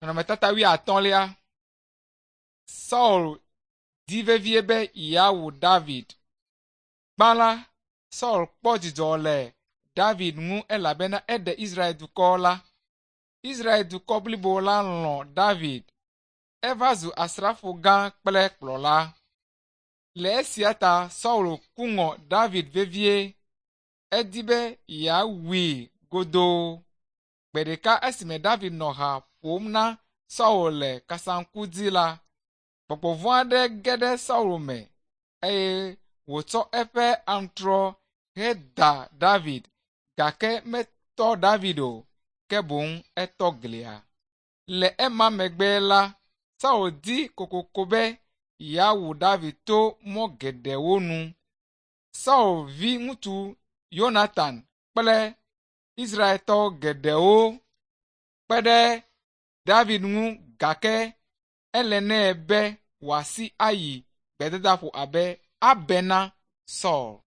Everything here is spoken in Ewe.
Nɔnɔmetata wuiatɔ̃lia. Saul di vevie be yeawu David. Gbã la, Saul kpɔ dzidzɔ le David ŋu elabena eɖe Israel dukɔ la. Israel dukɔ blibo la lɔ̃ David. Eva zu asrafo gã kple kplɔla. Le esia ta Saul ku ŋɔ David vevie. Edi be yeawui godoo. Gbe ɖeka esime David nɔ ha ƒom na Saul le kasaŋku dzi la, gbɔgbɔ vɔ̃ aɖe ge ɖe Saul me eye wòtsɔ eƒe aŋutrɔ heda David gake metɔ David o, ke boŋ etɔ glia. Le ema megbe la, Saul di kokoko be yeawu David to mɔ geɖewo nu. Saul viŋutsu Yonatan kple Israeltɔ geɖewo kpe ɖe David ŋu gake ele nɛ be wòasi ayi gbedadaƒo abe abe na Saul.